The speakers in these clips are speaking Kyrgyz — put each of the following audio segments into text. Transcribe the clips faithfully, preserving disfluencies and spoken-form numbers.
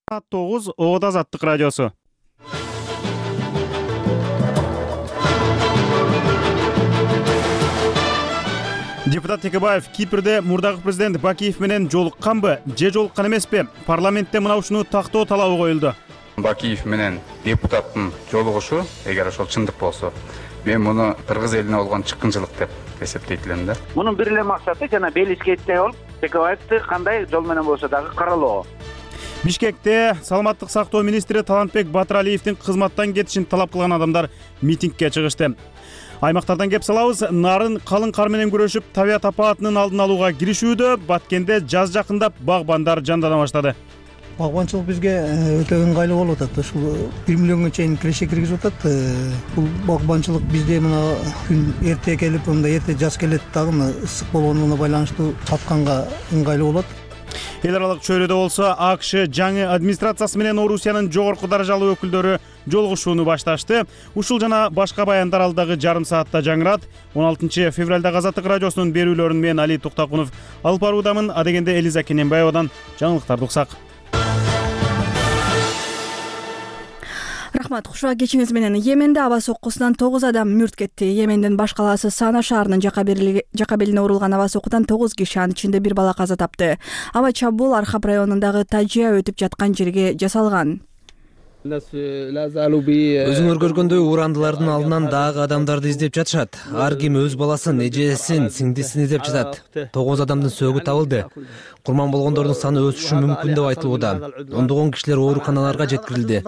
тогуз Оот Азаттык радиосу. Депутат Текебаев Кипрде мурдагы президент Бакиев менен жолукканбы же жолуккан эмеспи? Парламентте мына ушуну тактоо талабы коюлду. Бакиев менен депутаттын жолугушу эгер ошол чындык болсо, мен муну кыргыз элине болгон чыккынчылык деп эсептейт элем да. Мунун бир эле максаты жана Белискетте болуп, Текебаевди кандай жол менен болсо дагы каралоо. Бишкекте саламаттык сактоо министри Талантбек Батыралиевдин кызматтан кетишин талап кылган адамдар митингге чыгышты. Аймактардан кеп салабыз. Нарын калың кар менен күрөшүп, табият апаатынын алдын алууга киришүүдө. Баткенде жаз жакындап багбандар жандана баштады. Багбанчылык бизге өтө ыңгайлуу болуп атат. Ушул бир миллионго чейин киреше киргизип атат. Бул багбанчылык бизде мына күн эрте келип, мындай эрте жаз келет дагы ысык болгонуна байланыштуу сатканга ыңгайлуу болот. Эл аралык чөйрөдө болсо АКШ жаңы администрациясы менен Орусиянын жогорку даражалуу өкүлдөрү жолугушууну башташты. Ушул жана башка баяндар алдагы жарым саатта жаңырат. он алтынчы февралда Азаттык радиосунун берүүлөрүн мен Али Туктакунов алып баруудамын. Адегенде Элиза Кененбаевадан жаңылыктарды уксак. Рахмат, кушуа кечиңиз менен. Йеменде аба соккусунан тогуз адам мүрт кетти. Йемендин баш калаасы Сана шаарынын жака белине урулган аба соккудан тогуз киши, анын ичинде бир бала каза тапты. Аба чабуул Архап районундагы Тажия өтүп жаткан жерге жасалган. Өзүңөр көргөндөй урандылардын алдынан дагы адамдарды издеп жатышат. Ар ким өз баласын, эжесин, сиңдисин издеп жатат. тогуз адамдын сөөгү табылды. Курман болгондордун саны өсүшү мүмкүн деп айтылууда. Ондогон кишилер ооруканаларга жеткирилди,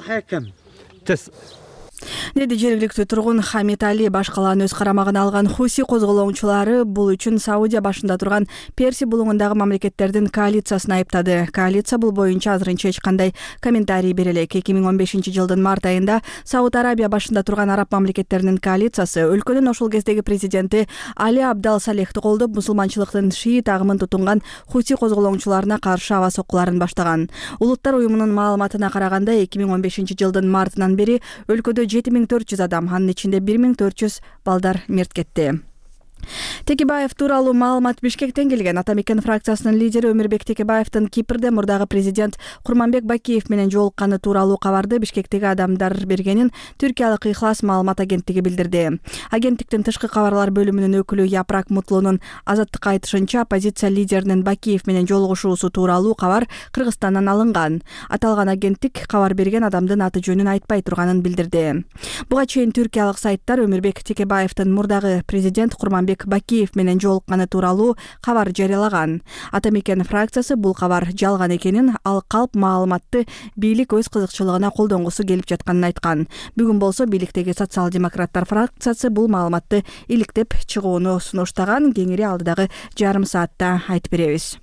деди жергиликтүү тургун Хамит Али. Баш калааны өз карамагына алган Хуси козголоочулары бул үчүн Саудия башында турган Перси булуңундагы мамлекеттердин коалициясын айыптады. Коалиция бул боюнча азырынча эч кандай комментарий бере элек. эки миң он бешинчи жылдын март айында Сауд Арабия башында турган араб мамлекеттеринин коалициясы өлкөнүн ошол кездеги президенти Али Абдал Салехти колдоп, мусулманчылыктын шиит агымын тутунган Хуси козголоочуларына каршы аба соккуларын баштаган. Улуттар уюмунун маалыматына караганда эки миң он бешинчи жылдын мартынан бери өлкөдө жети миң төрт жүз адам, анын ичинде бир миң төрт жүз балдар мерт кетти. Текебаев тууралуу маалымат Бишкектен келген. Атамекен фракциясынын лидери Өмүрбек Текебаевдин Кипрде мурдагы президент Курманбек Бакиев менен жолукканы тууралуу кабарды Бишкектеги адамдар бергенин Түркиялык Ихлас маалымат агенттиги билдирди. Агенттиктин тышкы кабарлар бөлүмүнүн өкүлү Япрак Мутлунун Азаттыкка айтышынча, оппозиция лидеринин Бакиев менен жолугушуусу тууралуу кабар Кыргызстандан алынган. Аталган агенттик кабар берген адамдын аты жөнүн айтпай турганын билдирди. Буга чейин түркиялык сайттар Өмүрбек Текебаевдин мурдагы президент Курманбек Бакиев менен жолукканы тууралуу кабар жарыялаган. Атамекен фракциясы бул кабар жалган экенин, ал калп маалыматты бийлик өз кызыкчылыгына колдонгусу келип жатканын айткан. Бүгүн болсо бийликтеги социал-демократтар фракциясы бул маалыматты иликтеп чыгууну сунуштаган. Кеңири алдыдагы жарым саатта айтып беребиз.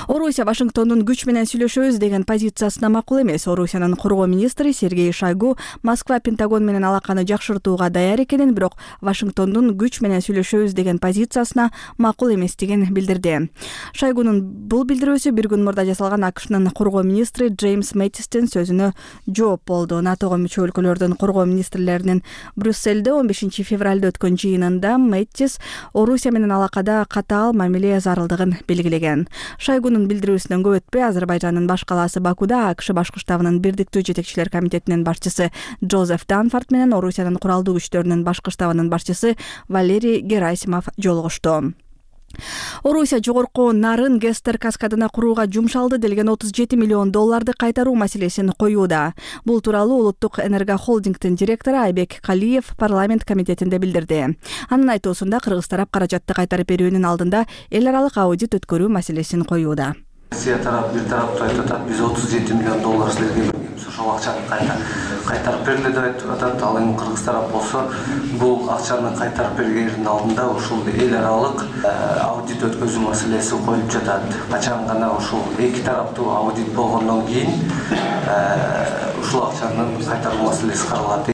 Орусия Вашингтондун күч менен сүйлөшөбүз деген позициясына макул эмес. Орусиянын коргоо министри Сергей Шойгу Москва Пентагон менен алаканы жакшыртууга даяр экенин, бирок Вашингтондун күч менен сүйлөшөбүз деген позициясына макул эместигин билдирди. Шойгунун бул билдирүүсү бир күн мурда жасалган АКШнын коргоо министри Джеймс Мэттистин сөзүнө жооп болду. НАТОго мүчө өлкөлөрдүн коргоо министрлеринин Брюссельде он бешинчи февралда өткөн жыйынында Мэттис Орусия менен алакада катаал мамиле зарылдыгын белгилеген. Шойгунун билдирүүсүнөн көп өтпөй Азербайжандын баш калаасы Бакуда АКШ башкы штабынын бирдиктүү жетекчилер комитетинин башчысы Джозеф Данфорд менен Орусиянын куралдуу күчтөрүнүн башкы штабынын башчысы Валерий Герасимов жолугушту. Орусия жогорку нарын Гестер каскадына курууга жумшалды делген отуз жети миллион долларды кайтаруу маселесин коюуда. Бул тууралуу Улуттук энергохолдингдин директору Айбек Калиев парламент комитетинде билдирди. Анын айтуусунда Кыргыз тарап каражатты кайтарып берүүнүн алдында эл аралык аудит өткөрүү маселесин коюуда. Россия тарап бир тараптуу айтып атат, биз отуз жети миллион доллар силерге бергенбиз, ошол акчаны кайта кайтарып берилди деп айтып атат. Ал эми Кыргыз тарап болсо бул акчаны кайтарып бергендин алдында ушул эл аралык аудит өткөзүү маселеси коюлуп жатат. Качан гана ушул эки тараптуу аудит болгондон кийин ушул акчанын кайтаруу маселеси каралат.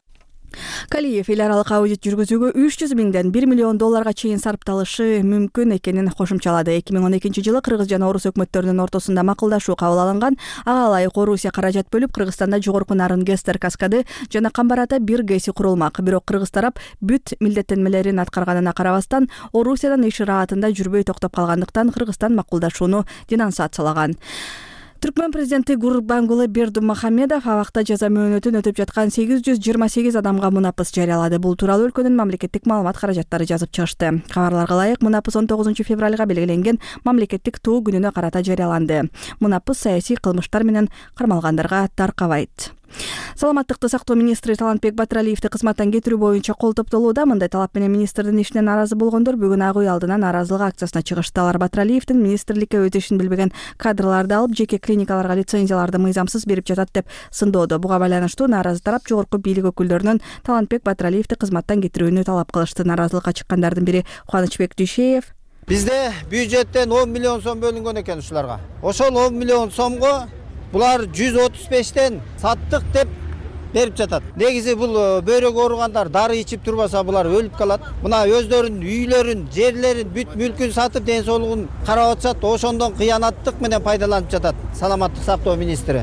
Калиев эл аралык аудит жүргүзүүгө үч жүз миңден бир миллион долларга чейин сарпталышы мүмкүн экенин кошумчалады. эки миң он экинчи жылы Кыргыз жана Орус өкмөттөрүнүн ортосунда макулдашуу кабыл алынган. Ага ылайык Орусия каражат бөлүп Кыргызстанда жогорку нарын Гестер каскады жана Камбарата бир ГЭСи курулмак. Бирок Кыргыз тарап бүт милдеттенмелерин аткарганына карабастан Орусиядан иш ыраатында жүрбөй токтоп калгандыктан Кыргызстан макулдашууну денонсациялаган. Түркмөн президенти Гурбангулы Бердымухамедов абакта жаза мөөнөтүн өтөп жаткан сегиз жүз жыйырма сегиз адамга мунапыс жарыялады. Бул тууралуу өлкөнүн мамлекеттик маалымат каражаттары жазып чыгышты. Кабарларга ылайык, мунапыс он тогузунчу февралга белгиленген мамлекеттик туу күнүнө карата жарыяланды. Мунапыс саясий кылмыштар менен кармалгандарга таркабайт. Саламаттыкты сактоо министри Талантбек Батыралиевди кызматтан кетирүү боюнча кол топтолууда. Мындай талап менен министрдин ишине нааразы болгондор бүгүн Ак үй алдына нааразылык акциясына чыгышты. Алар Батыралиевдин министрликке өз ишин билбеген кадрларды алып, жеке клиникаларга лицензияларды мыйзамсыз берип жатат деп сындоодо. Буга байланыштуу нааразы тарап жогорку бийлик өкүлдөрүнөн Талантбек Батыралиевди кызматтан кетирүүнү талап кылышты. Нааразылыкка чыккандардын бири Кубанычбек Дүйшеев. Бизде бюджеттен он миллион сом бөлүнгөн экен ушуларга. Ошол он миллион сомго булар жүз отуз бештен саттык деп берип жатат. Негизи бул бөйрөк ооругандар дары ичип турбаса булар өлүп калат. Мына өздөрүнүн үйлөрүн, жерлерин, бүт мүлкүн сатып ден соолугун карап атышат. Ошондон кыянаттык менен пайдаланып жатат саламаттык сактоо министри.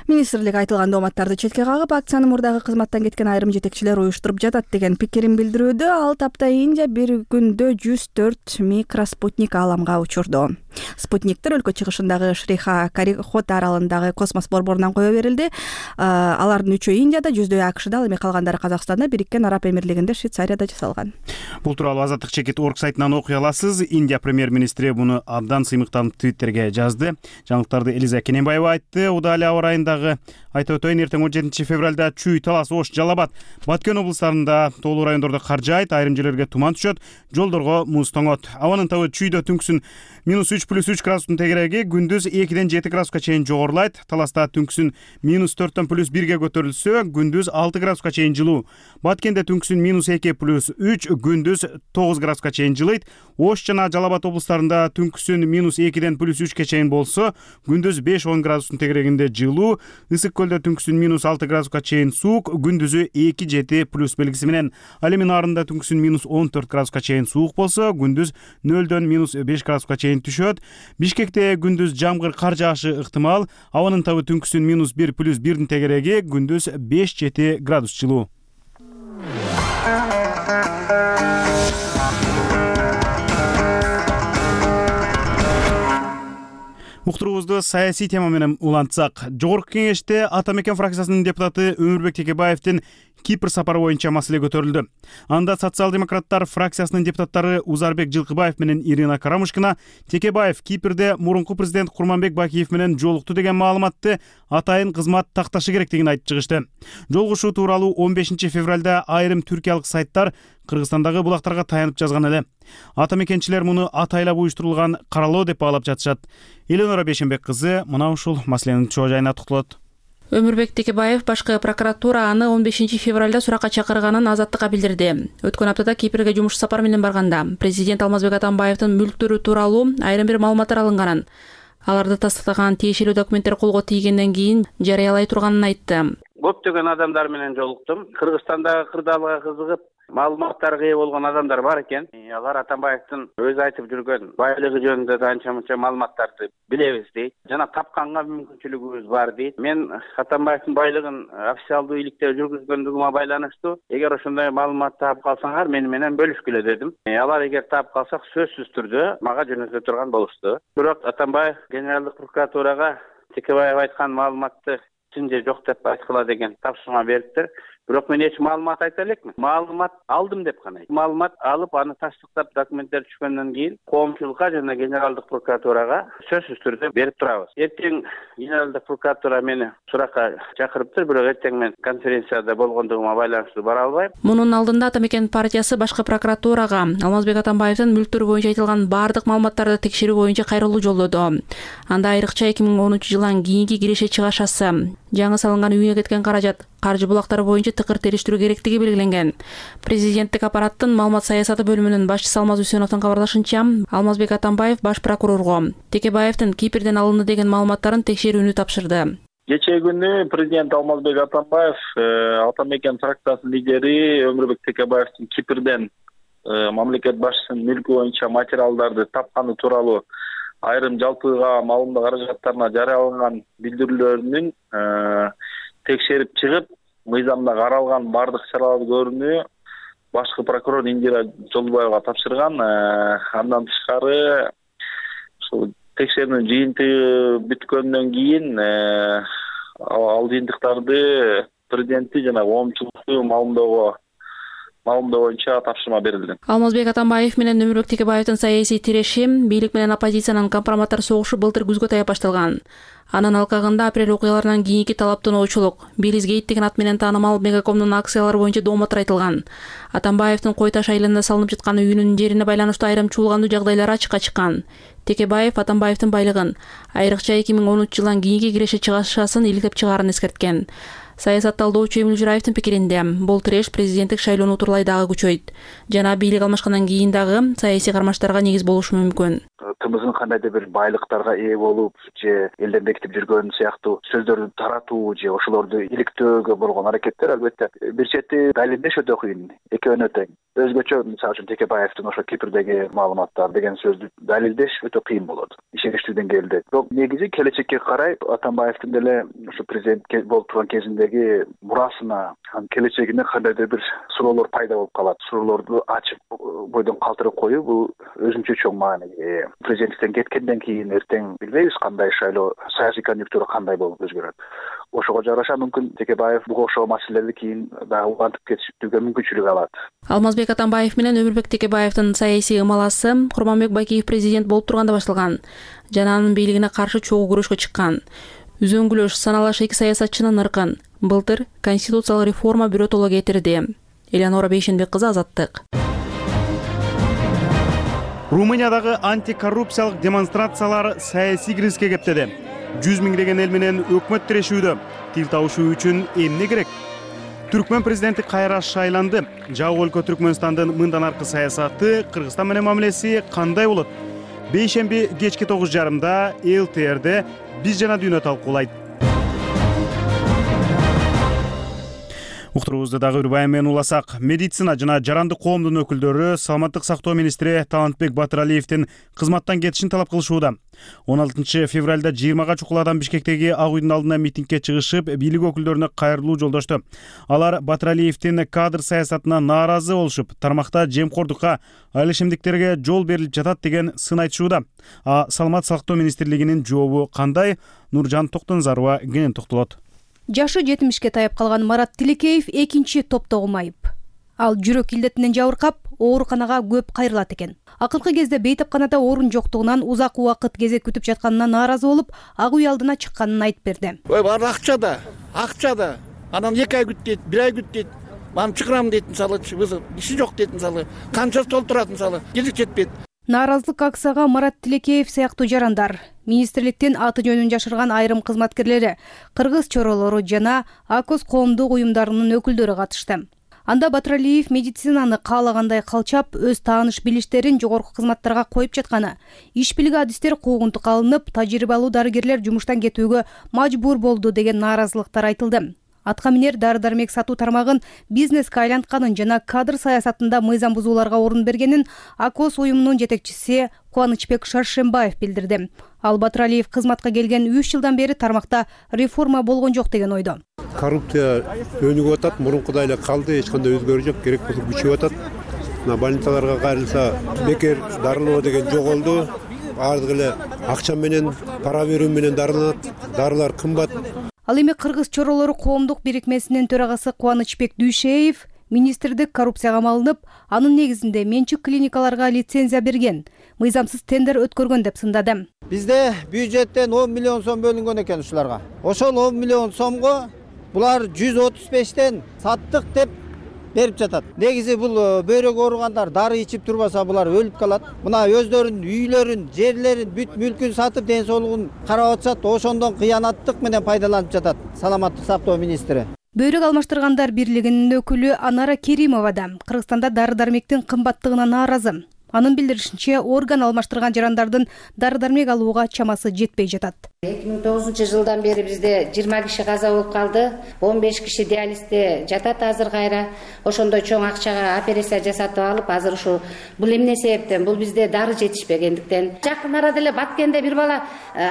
Министрлик айтылган дооматтарды четке кагып, акцияны мурдагы кызматтан кеткен айрым жетекчилер уюштуруп жатат деген пикирин билдирүүдө. Ал тапта Индия бир күндө жүз төрт микроспутник ааламга учурду. Спутниктер өлкө чыгышындагы Шриха Карихот аралындагы космос борборунан кое берилди. Алардын үчөө Индияда, жүздөй АКШда, ал эми калгандары Казакстанда, Бириккен Араб Эмирлигинде, Швейцарияда жасалган. Бул тууралуу Азаттык чекит орг сайтынан окуй аласыз. Индия премьер-министри муну абдан сыймыктанып Твиттерге жазды. Жаңылыктарды Элиза Кененбаева айтты. Удали аба райындагы айта өтөйүн, эртең он жетинчи февралда Чүй, Талас, Ош, Жалал Абад, Баткен облустарында, тоолуу райондордо кар жаайт, айрым жерлерге туман түшөт, жолдорго муз тоңот. Абанын табы Чүйдө түнкүсүн минус үч плюс үч градустун тегереги, күндүз экиден жети градуска чейин жогорулайт. Таласта түнкүсүн минус төрттөн плюс бирге көтөрүлсө, күндүз алты градуска чейин жылуу. Баткенде түнкүсүн минус эки плюс үч, күндүз тогуз градуска чейин жылыйт. Ош жана Жалал Абад облустарында түнкүсүн минус экиден плюс үчкө чейин болсо, күндүз беш он градустун тегерегинде жылуу. Ысык көлдө түнкүсүн минус алты градуска чейин суук, күндүзү эки жети плюс белгиси менен. Ал эми нарында түнкүсүн минус он төрт градуска чейин суук болсо, күндүз нөлдөн минус беш градуска чейин түшөт. Бишкекте күндүз жамгыр, кар жаашы ыктымал. Абанын табы түнкүсүн минус бир плюс бирдин тегереги, күндүз беш жети градус жылуу. Уктуруубузду саясий тема менен улантсак, Жогорку кеңеште Ата Мекен фракциясынын депутаты Өмүрбек Текебаевдин Кипр сапары боюнча маселе көтөрүлдү. Анда социал-демократтар фракциясынын депутаттары Узарбек Жылкыбаев менен Ирина Карамушкина Текебаев Кипрде мурунку президент Курманбек Бакиев менен жолукту деген маалыматты атайын кызмат такташы керектигин айтып чыгышты. Жолугушуу тууралуу он бешинчи февралда айрым түркиялык сайттар Кыргызстандагы булактарга таянып жазган эле. Ата мекенчилер муну атайлап уюштурулган каралоо деп баалап жатышат. Эленора Бешенбек кызы мына ушул маселенин чоо жайына токтолот. Өмүрбек Текебаев башкы прокуратура аны он бешинчи февралда суракка чакырганын Азаттыкка билдирди. Өткөн аптада Кипрге жумуш сапар менен барганда президент Алмазбек Атамбаевдин мүлктөрү тууралуу айрым бир маалыматтар алынганын, аларды тастыктаган тиешелүү документтер колго тийгенден кийин жарыялай турганын айтты. Көптөгөн адамдар менен жолуктум. Кыргызстандагы кырдаалга кызыгып, маалыматтарга ээ болгон адамдар бар экен. Алар Атамбаевдин өзү айтып жүргөн байлыгы жөнүндө да анча-мынча маалыматтарды билебиз дейт. Жана тапканга мүмкүнчүлүгүбүз бар дейт. Мен Атамбаевдин байлыгын официалдуу бийликте жүргүзгөндүгүмө байланыштуу эгер ошондой маалымат таап калсаңар мени менен бөлүшкүлө дедим. Алар эгер таап калсак сөзсүз түрдө мага жөнөтө турган болушту. Бирок Атамбаев генералдык прокуратурага Текебаев айткан маалыматты чын же жок деп айткыла деген тапшырма бериптир. Бирок мен эч маалымат айта элекмин. Маалымат алдым деп гана айттым. Маалымат алып, аны тастыктап документтер түшкөндөн кийин коомчулукка жана генералдык прокуратурага сөзсүз түрдө берип турабыз. Эртең генералдык прокуратура мени суракка чакырыптыр, бирок эртең мен конференцияда болгондугума байланыштуу бара албайм. Мунун алдында Ата Мекен партиясы башкы прокуратурага Алмазбек Атамбаевдин мүлктөрү боюнча айтылган бардык маалыматтарды текшерүү боюнча кайрылуу жолдоду. Анда айрыкча эки миң онунчу жылдан кийинки киреше чыгашасы, жаңы салынган үйүнө кеткен каражат, каржы булактары боюнча тыкыр териштирүү керектиги белгиленген. Президенттик аппараттын маалымат саясаты бөлүмүнүн башчысы Алмаз Үсеновдун кабарлашынча, Алмазбек Атамбаев баш прокурорго Текебаевдин Кипрден алынды деген маалыматтарын текшерүүнү тапшырды. Кечээ күнү президент Алмазбек Атамбаев Ата Мекен фракциясынын лидери Өмүрбек Текебаевдин Кипрден мамлекет башчысынын мүлкү боюнча материалдарды тапканы тууралуу айрым жалпыга маалымдоо каражаттарына жарыяланган билдирүүлөрүнүн текшерип чыгып, мыйзамда каралган бардык чараларды көрүүнү башкы прокурор Индира Жолдубаева тапшырган. Андан тышкары ушул текшерүүнүн жыйынтыгы бүткөндөн кийин ал жыйынтыктарды президенттин жана коомчулукту маалымдоого маалымдоо боюнча тапшырма берилди. Алмазбек Атамбаев менен Өмүрбек Текебаевдин саясий тиреши, бийлик менен оппозициянын компроматтар согушу былтыр күзгө таяп башталган. Анын алкагында апрель окуяларынан кийинки талаптоочулук, Биллисгейт деген ат менен таанымал Мегакомдун акциялары боюнча дооматтар айтылган. Атамбаевдин Кой Таш айылында салынып жаткан үйүнүн жерине байланыштуу айрым чуулгандуу жагдайлар ачыкка чыккан. Текебаев Атамбаевдин байлыгын, айрыкча эки миң онунчу жылдан кийинки киреше чыгашасын иликтеп чыгаарын эскерткен. Саясат талдоочу Эмил Жураевдин пикиринде, бул тиреш президенттик шайлоону туралай дагы күчөйт жана бийлик алмашкандан кийин дагы саясий кармаштарга негиз болушу мүмкүн. Тымыздын кандайдыр бир байлыктарга ээ болуп же элден бекитип жүргөн сыяктуу сөздөрдү таратуу же ошолорду иликтөөгө болгон аракеттер албетте бир чети далилдеш өтө кыйын, экөөнө тең. Өзгөчө мисалы үчүн Текебаевдин ошо Кипрдеги маалыматтар деген сөздү далилдеш өтө кыйын болот. Ишеничтүү деңгээлде. Бирок негизи келечекке карай Атамбаевдин деле ошо президент болуп турган кезиндеги мурасына, анын келечегине кандайдыр бир суроолор пайда болуп калат. Суроолорду ачып бойдон калтырып коюу бул өзүнчө чоң мааниге ээ. Президенттен кеткенден кийин эртең билбейбиз кандай шайлоо, саясий конъюнктура кандай болуп өзгөрөт. Ошого жараша мүмкүн Текебаев буга окшогон маселелерди кийин дагы улантып кетүүгө мүмкүнчүлүк алат. Алмазбек Атамбаев менен Өмүрбек Текебаевдин саясий ымаласы Курманбек Байкеев президент болуп турганда башталган жана анын бийлигине каршы чогуу күрөшкө чыккан. Үзөңгүлөш саналаш эки саясатчынын ыркын былтыр конституциялык реформа биротоло кетирди. Элеонора Бейшенбек кызы, Азаттык. Румыниядагы антикоррупциялык демонстрациялар саясий кризиске кептеди. жүз миңдеген эл менен өкмөт тирешүүдө. Тил табышуу үчүн эмне керек? Түркмөн президенти кайра шайланды. Жабык өлкө Түркмөнстандын мындан аркы саясаты, Кыргызстан менен мамилеси кандай болот? Бейшемби кечки тогуз жарымда эл ти эрде биз жана дүйнө талкуулайт. Уктуруубузду дагы бир баян менен уласак, медицина жана жарандык коомдун өкүлдөрү саламаттык сактоо министри Талантбек Батыралиевдин кызматтан кетишин талап кылышууда. он алтынчы февралда жыйырмага чукул адам Бишкектеги Ак үйдүн алдына митингге чыгышып, бийлик өкүлдөрүнө кайрылуу жолдошту. Алар Батыралиевдин кадр саясатына нааразы болушуп, тармакта жемкордукка, айлышымдиктерге жол берилип жатат деген сын айтышууда. А саламат сактоо министрлигинин жообу кандай? Нуржан Токтонзарова кенен токтолот. Жашы жетимишке таяп калган Марат Тилекеев экинчи топтогу майып. Ал жүрөк илдетинен жабыркап, ооруканага көп кайрылат экен. Акыркы кезде бейтапканада орун жоктугунан узак убакыт кезек күтүп жатканына нааразы болуп, Ак үй алдына чыкканын айтып берди. Ой, бар акча да, акча да. Анан эки ай күт дейт, бир ай күт дейт. Мен чыгарам дейт, мисалы, иши жок дейт, мисалы. Канчасы толтурат, мисалы, кезек жетпейт. Нааразылык акцияга Марат Тилекеев сыяктуу жарандар, министрликтин аты жөнүн жашырган айрым кызматкерлери, кыргыз чоролору жана Акос коомдук уюмдарынын өкүлдөрү катышты. Анда Батыралиев медицинаны каалагандай калчап, өз тааныш билиштерин жогорку кызматтарга коюп жатканы, иш билиги адистер куугунтукка алынып, тажрыйбалуу дарыгерлер жумуштан кетүүгө мажбур болду деген нааразылыктар айтылды. Атка минер дары-дармек сатуу тармагын бизнеске айлантканын жана кадр саясатында мыйзам бузууларга орун бергенин Акос уюмунун жетекчиси Кубанычбек Шаршембаев билдирди. Ал Батыралиев кызматка келген үч жылдан бери тармакта реформа болгон жок деген ойдо. Коррупция өнүгүп атат, мурункудай эле калды, эч кандай өзгөрүү жок, керек болсо күчөп атат. Мына больницаларга кайрылса, бекер дарылоо деген жоголду. Бардык эле акча менен, пара берүү менен дарыланат, дарылар кымбат. Ал эми Кыргыз чоролору коомдук бирикмесинин төрагасы Кубанычбек Дүйшеев министрдик коррупцияга малынып, анын негизинде менчик клиникаларга лицензия берген, мыйзамсыз тендер өткөргөн деп сындады. Бизде бюджеттен он миллион сом бөлүнгөн экен ушуларга. Ошол он миллион сомго булар жүз отуз бештен саттык деп берип жатат. Негизи бул бөйрөк ооругандар дары ичип турбаса булар өлүп калат. Мына өздөрүнүн үйлөрүн, жерлерин, бүт мүлкүн сатып, ден соолугун карап атышат. Ошондон кыянаттык менен пайдаланып жатат саламаттык сактоо министри. Бөйрөк алмаштыргандар бирлигинин өкүлү Анара Керимова да Кыргызстанда дары-дармектин кымбаттыгына нааразы. Анын билдиришинче, орган алмаштырган жарандардын дары-дармек алууга чамасы жетпей жатат. эки миң тогузунчу жылдан бери бизде жыйырма киши каза болуп калды, он беш киши диализде жатат азыр кайра. Ошондой чоң акчага операция жасатып алып, азыр ушу бул эмне себептен? Бул бизде дары жетишпегендиктен. Жакын арада эле Баткенде бир бала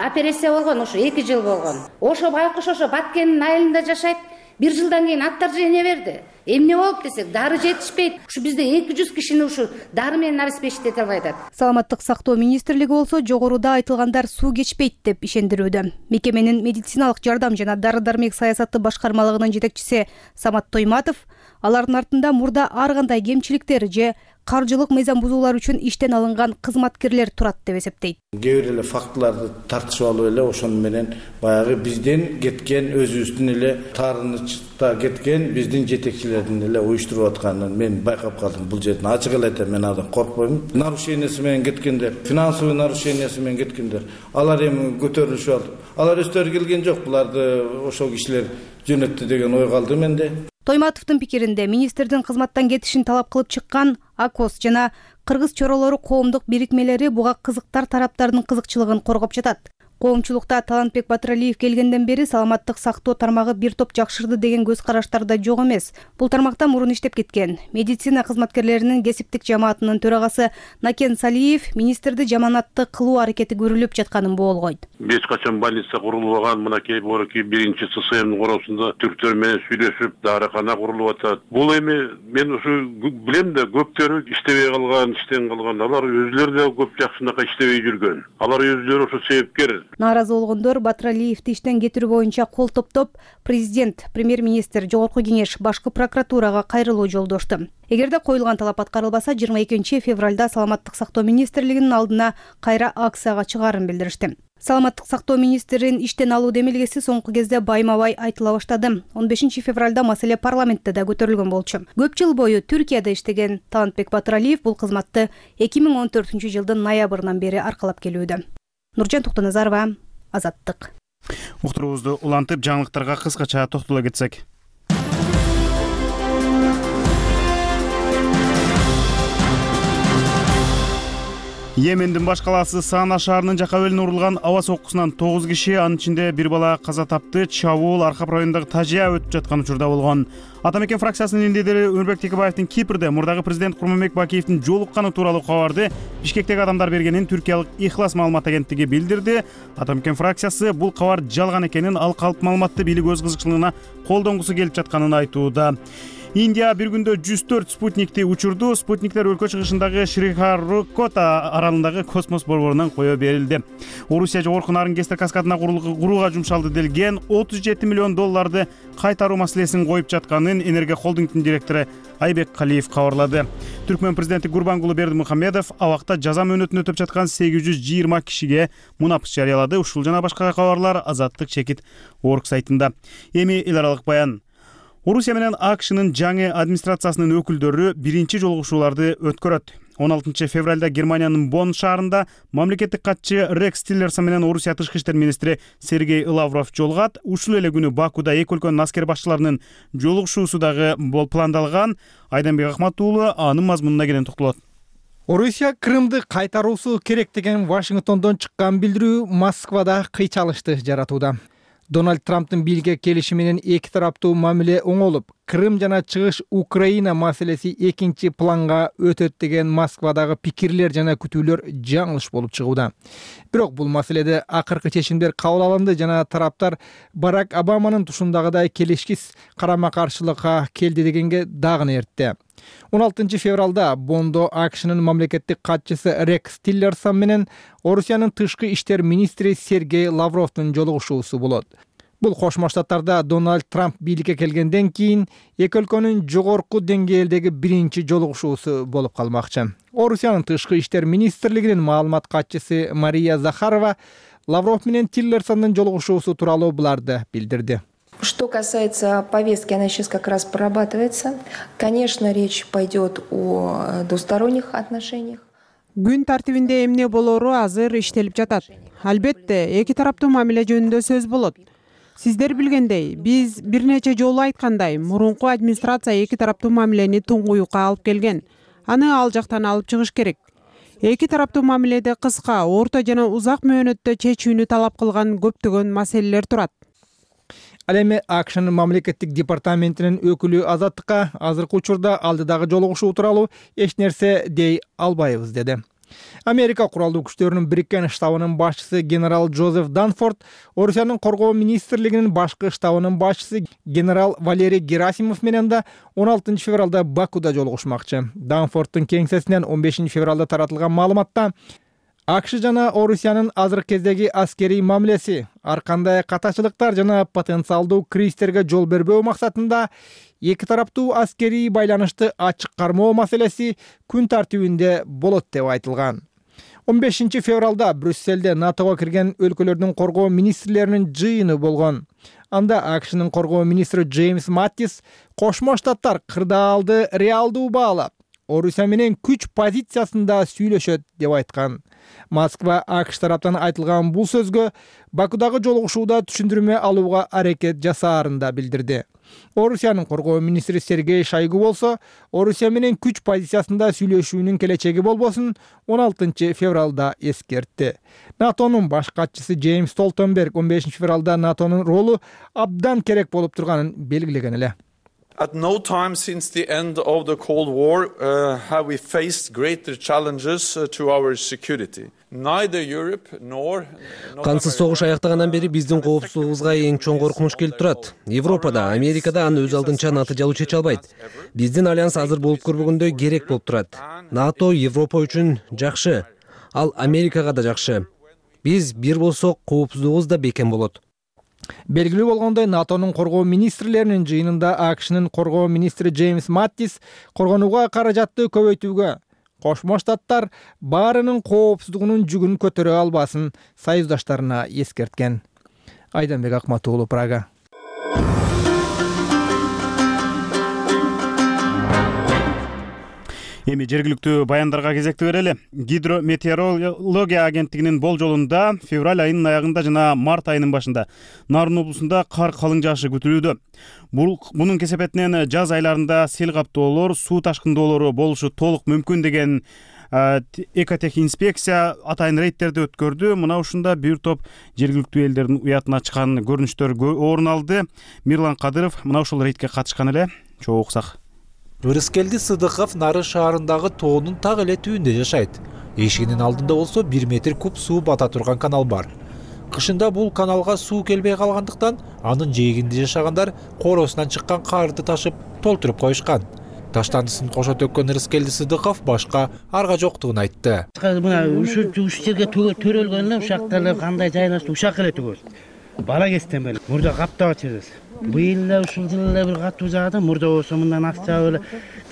операция болгон, ушу эки жыл болгон. Ошо байкуш ошо Баткендин айылында жашайт. бир жылдан кийин отторжение берди. Эмне болуп десек, дары жетишпейт. Ушу бизде эки жүз кишини ушу дары менен обеспечить эте албай атат. Саламаттык сактоо министрлиги болсо жогоруда айтылгандар суу кечпейт деп ишендирүүдө. Мекеменин медициналык жардам жана дары-дармек саясаты башкармалыгынын жетекчиси Самат Тойматов алардын артында мурда ар кандай кемчиликтер же каржылык мыйзам бузуулар үчүн иштен алынган кызматкерлер турат деп эсептейт. Кээ бир эле фактыларды тартышып алып эле ошону менен баягы бизден кеткен, өзүбүздүн эле таарынычта кеткен биздин жетекчилердин эле уюштуруп атканын мен байкап калдым. Бул жерден ачык эле айтам, мен андан коркпойм. Нарушениясы менен кеткендер, финансовый нарушениясы менен кеткендер, алар эми көтөрүлүшүп алды. Алар өздөрү келген жок, буларды ошол кишилер жөнөттү деген ой калды менде. Тойматовдун пикиринде министрдин кызматтан кетишин талап кылып чыккан АКОС жана кыргыз чоролору коомдук бирикмелери буга кызыктар тараптардын кызыкчылыгын коргоп жатат. Коомчулукта Талантбек Батыралиев келгенден бери саламаттык сактоо тармагы бир топ жакшырды деген көз караштар да жок эмес. Бул тармакта мурун иштеп кеткен медицина кызматкерлеринин кесиптик жамаатынын төрагасы Накен Салиев министрди жаманатты кылуу аракети көрүлүп жатканын боолгойт. Беш качан больница курулбаган, мынакей борки биринчи ССМдин короосунда түрктөр менен сүйлөшүп дарыкана курулуп атат. Бул эми мен ушу билем да, көптөрү иштебей калган, иштен калган, алар өзүлөрү да көп жакшынакай иштебей жүргөн. Алар өзүлөрү ошо себепкер. Нааразы болгондор Батыралиевди иштен кетирүү боюнча кол топтоп, президент, премьер-министр, жогорку кеңеш, башкы прокуратурага кайрылуу жолдошту. Эгерде коюлган талап аткарылбаса, жыйырма экинчи февралда Саламаттык сактоо министрлигинин алдына кайра акцияга чыгаарын билдиришти. Саламаттык сактоо министрин иштен алуу демилгеси соңку кезде байма-бай айтыла баштады. он бешинчи февралда маселе парламентте да көтөрүлгөн болчу. Көп жыл бою Түркияда иштеген Талантбек Батыралиев бул кызматты эки миң он төртүнчү жылдын ноябрынан бери аркалап келүүдө. Нуржан Токтоназарова, Азаттык. Уктуруубузду улантып, жаңылыктарга кыскача токтоло кетсек. Йемендин баш калаасы Сана шаарынын Жакабелине урулган аба соккусунан тогуз киши, анын ичинде бир бала каза тапты. Чабуул Аркап районундагы Тажия өтүп жаткан учурда болгон. Ата мекен фракциясынын лидери Өмүрбек Текебаевдин Кипрде мурдагы президент Курманбек Бакиевдин жолукканы тууралуу кабарды Бишкектеги адамдар бергенин түркиялык Ихлас маалымат агенттиги билдирди. Ата мекен фракциясы бул кабар жалган экенин, ал калп маалыматты бийлик өз кызыкчылыгына колдонгусу келип жатканын айтууда. Индия бир күндө жүз төрт спутникти учурду. Спутниктер өлкө чыгышындагы Шрихаркота аралындагы космос борборунан кое берилди. Орусия жогорку Нарынгестер каскадына курууга жумшалды делген отуз жети миллион долларды кайтаруу маселесин коюп жатканын Энергия холдингдин директору Айбек Калиев кабарлады. Түркмөн президенти Гурбангулы Бердимухамедов абакта жаза мөөнөтүн өтөп жаткан сегиз жүз жыйырма кишиге мунапыс жарыялады. Ушул жана башка кабарлар Азаттык чекит орг сайтында. Эми эл аралык баян. Орусия менен АКШнын жаңы администрациясынын өкүлдөрү биринчи жолугушууларды өткөрөт. он алтынчы февралда Германиянын Бонн шаарында мамлекеттик катчы Рекс Тиллерсон менен Орусия тышкы иштер министри Сергей Лавров жолугат. Ушул эле күнү Бакуда эки өлкөнүн аскер башчыларынын жолугушуусу дагы бол пландалган. Айданбек Акмат уулу анын мазмунуна кенен токтолот. Орусия Крымды кайтаруусу керек деген Вашингтондон чыккан билдирүү Москвада кыйчалышты жаратууда. Дональд Трамптын бийликке келиши менен эки тараптуу мамиле оңолуп, Крым жана чыгыш Украина маселеси экинчи планга өтөт деген Москвадагы пикирлер жана күтүүлөр жаңылыш болуп чыгууда. Бирок бул маселеде акыркы чечимдер кабыл алынды жана тараптар Барак Обаманын тушундагыдай келишкис карама-каршылыкка келди дегенге дагы эртти. он алтынчы февралда Бондо АКШнын мамлекеттик катчысы Рекс Тиллерсон менен Орусиянын тышкы иштер министри Сергей Лавровдун жолугушуусу болот. Бул Кошмо Штаттарда Дональд Трамп бийликке келгенден кийин эки өлкөнүн жогорку деңгээлдеги биринчи жолугушуусу болуп калмакчы. Орусиянын тышкы иштер министрлигинин маалымат катчысы Мария Захарова Лавров менен Тиллерсондун жолугушуусу тууралуу буларды билдирди. Что касается повестки, она сейчас как раз прорабатывается. Конечно, речь пойдет о двусторонних отношениях. Күн тартибинде эмне болору азыр иштелип жатат. Албетте, эки тараптуу мамиле жөнүндө сөз болот. Сиздер билгендей, биз бир нече жолу айткандай, мурунку администрация эки тараптуу мамилени туңгуюкка алып келген. Аны ал жактан алып чыгыш керек. Эки тараптуу мамиледе кыска, орто жана узак мөөнөттө чечүүнү талап кылган көптөгөн маселелер турат. Ал эми АКШнын мамлекеттик департаментинин өкүлү Азаттыкка азыркы учурда алдыдагы жолугушуу тууралуу эч нерсе дей албайбыз деди. Америка куралдуу күчтөрүнүн бириккен штабынын башчысы генерал Джозеф Данфорд Орусиянын коргоо министрлигинин башкы штабынын башчысы генерал Валерий Герасимов менен да он алтынчы февралда Бакуда жолугушмакчы. Данфорддун кеңсесинен он бешинчи февралда таратылган маалыматта АКШ жана Орусиянын азыркы кездеги аскерий мамилеси ар кандай катачылыктар жана потенциалдуу кризистерге жол бербөө максатында эки тараптуу аскерий байланышты ачык кармоо маселеси күн тартибинде болот деп айтылган. он бешинчи февралда Брюсселде НАТОго кирген өлкөлөрдүн коргоо министрлеринин жыйыны болгон. Анда АКШнын коргоо министри Джеймс Маттис Кошмо Штаттар кырдаалды реалдуу баалап, Орусия менен күч позициясында сүйлөшөт деп айткан. Москва АКШ тараптан айтылган бул сөзгө Бакудагы жолугушууда түшүндүрмө алууга аракет жасаарын да билдирди. Орусиянын коргоо министри Сергей Шойгу болсо, Орусия менен күч позициясында сүйлөшүүнүн келечеги болбосун он алтынчы февралда эскертти. НАТОнун баш катчысы Джеймс Столтенберг он бешинчи февралда НАТОнун ролу абдан керек болуп турганын белгилеген эле. At no time since the end of the Cold War uh, have we faced greater challenges uh, to our security. Neither Europe nor Кансыз согуш аяктагандан бери биздин коопсуздугубузга эң чоң коркунуч келип турат. Европада, Америкада аны өз алдынча натыйжалуу чече албайт. Биздин альянс азыр болуп көрбөгөндөй керек болуп турат. НАТО Европа үчүн жакшы, ал Америкага да жакшы. Биз бир болсок, коопсуздугубуз да бекем болот. Белгилүү болгондой, НАТОнун коргоо министрлеринин жыйынында АКШнын коргоо министри Джеймс Маттис коргонууга каражатты көбөйтүүгө, Кошмо Штаттар баарынын коопсуздугунун жүгүн көтөрө албасын союздаштарына эскерткен. Айданбек Акматуулу, Прага. Эми жергиликтүү баяндарга кезекти берели. Гидрометеорология агенттигинин болжолунда февраль айынын аягында жана март айынын башында Нарын облусунда кар калың жаашы күтүлүүдө. Бул мунун кесепетинен жаз айларында сел каптоолор, суу ташкындоолору болушу толук мүмкүн деген Экотех инспекция атайын рейдтерди өткөрдү. Мына ушунда бир топ жергиликтүү элдердин уятына чыккан көрүнүштөр орун алды. Мирлан Кадыров мына ушул рейдке катышкан эле. Чогуу уксак. Өрескелди Сыдыков Нары шаарындагы тоонун так эле түбүндө жашайт. Эшигинин алдында болсо бир метр куб суу бата турган канал бар. Кышында бул каналга суу келбей калгандыктан анын жээгинде жашагандар кооросунан чыккан карды ташып толтуруп коюшкан. Таштандысын кошо төккөн Өрескелди Сыдыков башка арга жоктугун айтты. Мына ушу жерге төрөлгөн эле ушактар кандай жайлашты, ушак эле төгөбүз. Бала кезден бери мурда каптап атабыз. Быйыл эле ушул жылы эле бир катуу жаады, мурда болсо мындан акча эле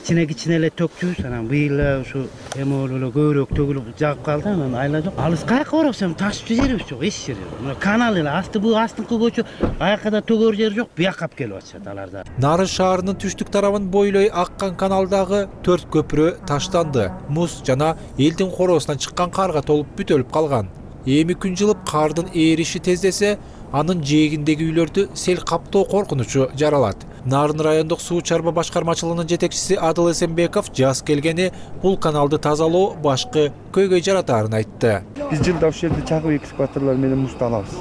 кичине кичине эле төкчүбүз. Анан быйыл эле ушу эме болуп эле көбүрөөк төгүлүп жагып калды. Анан айла жок. Алыс кайка барабыз, ташып жерибиз жок, эч жер жок. Мына канал эле асты бу астыңкы көчө, аяка да төгөр жер жок, бияка алып келип атышат аларда. Нары шаарынын түштүк тарабын бойлой аккан каналдагы төрт көпүрө таштанды. Муз жана элдин кооросунан чыккан карга толуп бүтөлүп калган. Эми күн жылып кардын ээриши тездесе, анын жээгиндеги үйлөрдү сел каптоо коркунучу жаралат. Нарын райондук суу чарба башкармачылыгынын жетекчиси Адыл Эсенбеков жаз келгени бул каналды тазалоо башкы көйгөй жаратаарын айтты. Биз жылда ушул жерде чагып экскаваторлор менен музду алабыз.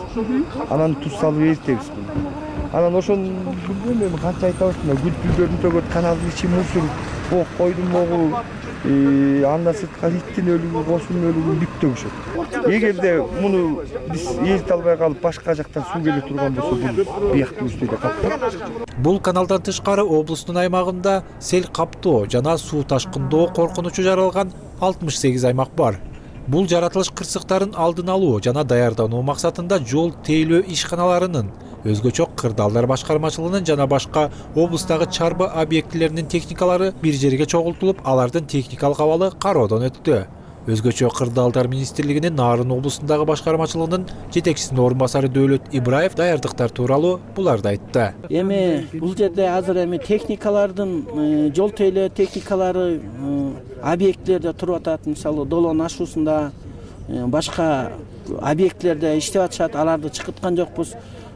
Анан туз салып эритебиз. Анан ошону эми канча айтабыз, гүл гүлдөрдүн төгөт, каналдын ичи мусор, ок койдун могу, анда сыртка иттин өлүгү, кошунун өлүгүн бүк төгүшөт. Эгерде муну биз эрите албай калып башка жактан суу келе турган болсо, бул бияктын үстүнө каптап. Бул каналдан тышкары облустун аймагында сел каптоо жана суу ташкындоо коркунучу жаралган алтымыш сегиз аймак бар. Бул жаратылыш кырсыктарын алдын алуу жана даярдануу максатында жол тейлөө ишканаларынын, өзгөчө кырдаалдар башкармачылыгынын жана башка облустагы чарба объектилеринин техникалары бир жерге чогултулуп, алардын техникалык абалы кароодон өттү. Өзгөчө кырдаалдар министрлигинин Нарын облусундагы башкармачылыгынын жетекчисинин орун басары Дөөлөт Ибраев даярдыктар тууралуу буларды айтты. Эми бул жерде азыр эми техникалардын жол тейлөө техникалары объектилерде туруп атат. Мисалы Долон ашуусунда башка объектилерде иштеп атышат, аларды чыкыткан жокпуз.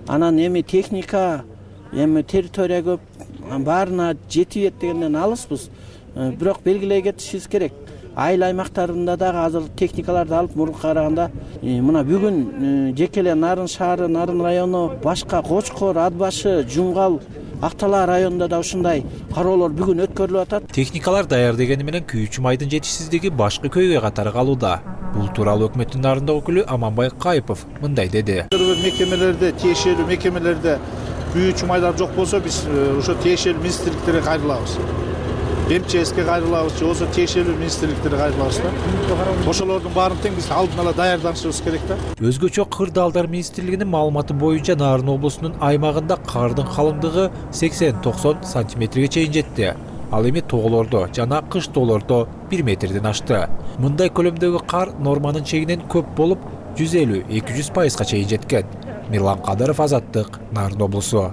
Анан эми техника, эми территория көп, баарына жетип дегенден алыспыз. Бирок белгилей кетишибиз керек. Айыл аймактарында дагы азыр техникаларды алып мурунга караганда мына бүгүн жеке эле Нарын шаары, Нарын району, башка Кочкор, Ат башы, Жумгал Ак Талаа районунда да ушундай кароолор бүгүн өткөрүлүп атат. Техникалар даяр дегени менен күйүүчү майдын жетишсиздиги башкы көйгөй катары калууда. Бул тууралуу өкмөттүн нарындык өкүлү Аманбай Кайыпов мындай деди. Мекемелерде, тиешелүү мекемелерде күйүүчү майдар жок болсо, биз ошо тиешелүү министрликтерге кайрылабыз. МЧСке кайрылабыз, же болбосо тиешелүү министрликтерге кайрылабыз да. Ошолордун баарын тең биз алдын ала даярданышыбыз керек да. Өзгөчө Кыр Даалдар министрлигинин маалыматы боюнча Нарын облусунун аймагында кардын калыңдыгы сексен токсон сантиметрге чейин жетти. Ал эми тоголордо жана кыштоолордо бир метрден ашты. Мындай көлөмдөгү кар норманын чегинен көп болуп, жүз элүү эки жүз пайызга чейин жеткен. Мирлан Кадыров, Азаттык, Нарын облусу.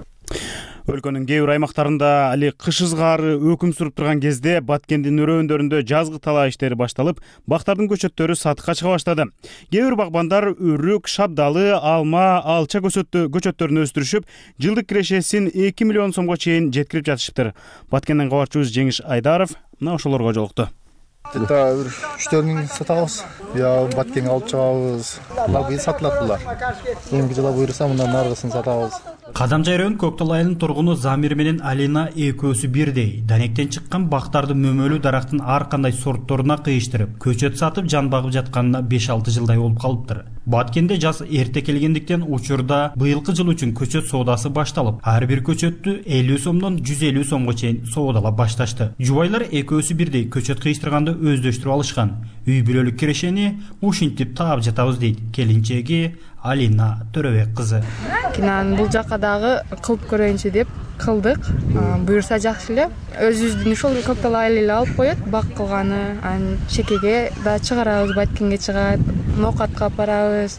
Өлкөнүн кээ бир аймактарында али кыш ызгаары өкүм сүрүп турган кезде Баткендин өрөөндөрүндө жазгы талаа иштери башталып, бактардын көчөттөрү сатыкка чыга баштады. Кээ бир багбандар өрүк, шабдалы, алма, алча көчөттөрүн өстүрүшүп, жылдык кирешесин эки миллион сомго чейин жеткирип жатышыптыр. Баткенден кабарчыбыз Жеңиш Айдаров мына ошолорго жолукту. Тета бир үч төрт миң сатабыз. Я Баткенге алып чыгабыз. Бул сатылат булар. Эмки жылы буйруса мындан наргысын сатабыз. Кадамжай район Көктал айылынын тургуну Замир менен Алина экөөсү бирдей. Данектен чыккан бактарды мөмөлүү дарактын ар кандай сортторуна кыйыштырып, көчөт сатып жан багып жатканына беш алты жылдай болуп калыптыр. Баткенде жаз эрте келгендиктен учурда быйылкы жыл үчүн көчөт соодасы башталып, ар бир көчөттү элүү сомдон жүз элүү сомго чейин соодалап башташты. Жубайлар экөөсү бирдей көчөт кыйыштырганды өздөштүрүп алышкан. Үй бүлөлүк кирешени ушинтип таап жатабыз дейт келинчеги Алина Төрөбек кызы. Кинан бул жакка дагы кылып көрөйүнчү деп кылдык. Буюрса жакшы эле. Өзүбүздүн ушул Көктал айыл эле алып коет, бак кылганы, анан чекеге да чыгарабыз, Баткенге чыгат, ноокатка апарабыз.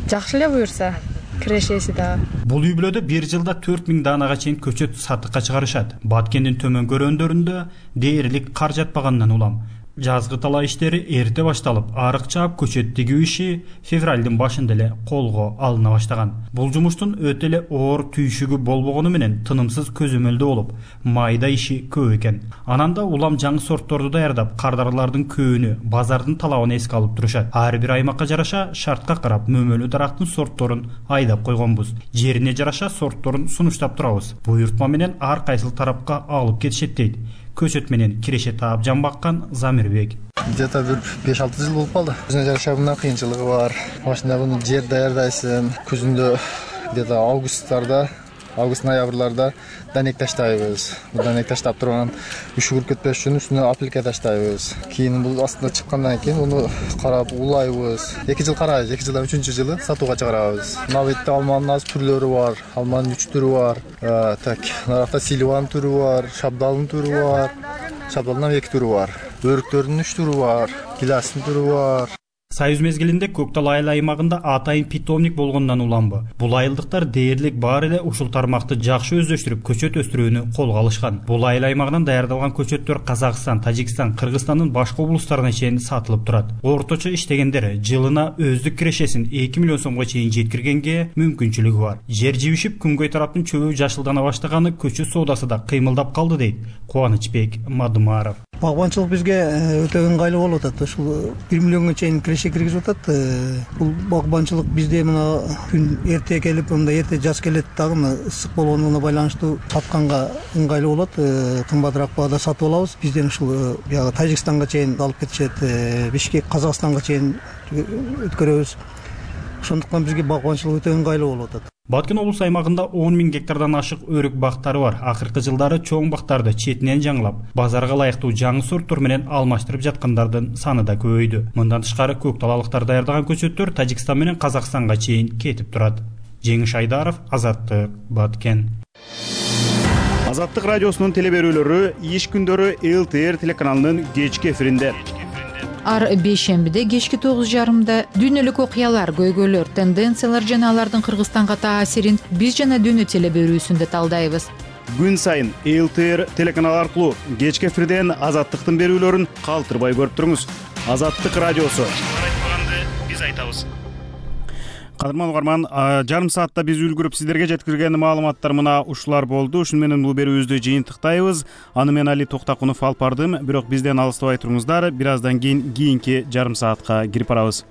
Жакшы эле буюрса. Кирешеси да. Бул үй бүлөдө бир жылда төрт миң даанага чейин көчөт сатыкка чыгарышат. Баткендин төмөнкү өрөөндөрүндө дээрлик кар жатпагандан улам жазгы талаа иштери эрте башталып, арык чаап көчөт тигүү иши февралдын башында эле колго алына баштаган. Бул жумуштун өтө эле оор түйшүгү болбогону менен тынымсыз көзөмөлдө болуп, майда иши көп экен. Анан да улам жаңы сортторду даярдап, кардарлардын көөнү, базардын талабын эске алып турушат. Ар бир аймакка жараша шартка карап мөмөлүү дарактын сортторун айдап койгонбуз. Жерине жараша сортторун сунуштап турабыз. Буйртма менен ар кайсыл тарапка алып кетишет дейт. Көчөт менен киреше таап жан баккан Замирбек. Где-то бир беш алты жыл болуп калды. Өзүнө жараша мына кыйынчылыгы бар. Башында буну жер даярдайсың. Күзүндө где-то августтарда, август-ноябрларда данек таштайбыз. Бул данек таштап туруп анан үшүгүрүп кетпеш үчүн үстүнө апельке таштайбыз. Кийин бул астына чыккандан кийин муну карап улайбыз. эки жыл карайбыз, эки жылдан үчүнчү жылы сатууга чыгарабыз. Мына бетте алманын аз түрлөрү бар, алманын үч түрү бар. Так, наракта сильван түрү бар, шабдалдын түрү бар. Шабдалдын эки түрү бар. Өрүктөрдүн үч түрү бар, гилястын түрү бар. Союз мезгилинде Көктал айыл аймагында атайын питомник болгондон уламбы. Бул айылдыктар дээрлик баары эле ушул тармакты жакшы өздөштүрүп көчөт өстүрүүнү колго алышкан. Бул айыл аймагынан даярдалган көчөттөр Казакстан, Тажикстан, Кыргызстандын башка облустарына чейин сатылып турат. Орточо иштегендер жылына өздүк кирешесин эки миллион сомго чейин жеткиргенге мүмкүнчүлүгү бар. Жер жибишип күнгөй тараптын чөбү жашылдана баштаганы көчөт соодасы да кыймылдап калды дейт Кубанычбек Мадымаров. Багбанчылык бизге өтө ыңгайлуу болуп атат. Ушул бир миллионго чейин киреше киргизип атат. Бул багбанчылык бизде мына күн эрте келип, мындай эрте жаз келет дагы мына ысык болгонуна байланыштуу сатканга ыңгайлуу болот. Кымбатыраак баада сатып алабыз. Бизден ушул биягы Тажикстанга чейин алып кетишет, Бишкек, Казакстанга чейин өткөрөбүз. Ошондуктан бизге багбанчылык өтө ыңгайлуу болуп атат. Баткен облус аймагында он миң гектардан ашык өрүк бактары бар. Акыркы жылдары чоң бактарды четинен жаңылап, базарга ылайыктуу жаңы сорттор менен алмаштырып жаткандардын саны да көбөйдү. Мындан тышкары көкталалыктар даярдаган көчөттөр Тажикстан менен Казакстанга чейин кетип турат. Жеңиш Айдаров, Азаттык, Баткен. Азаттык радиосунун теле берүүлөрү иш күндөрү эл тэ эр телеканалынын кечки эфиринде. Ар бейшембиде кечки тогуз жарымда дүйнөлүк окуялар, көйгөйлөр, тенденциялар жана алардын Кыргызстанга таасирин биз жана дүйнө теле берүүсүндө талдайбыз. Күн сайын эл тэ эр телеканалы аркылуу кечки эфирден Азаттыктын берүүлөрүн калтырбай көрүп туруңуз. Азаттык радиосу. Айтпаганды биз айтабыз. Кадырман угарман, жарым саатта биз үлгүрүп сиздерге жеткирген маалыматтар мына ушулар болду. Ушун менен бул берүүбүздү жыйынтыктайбыз. Аны мен Али Токтакунов алып бардым, бирок бизден алыстабай туруңуздар. Бир аздан кийин кийинки жарым саатка кирип барабыз.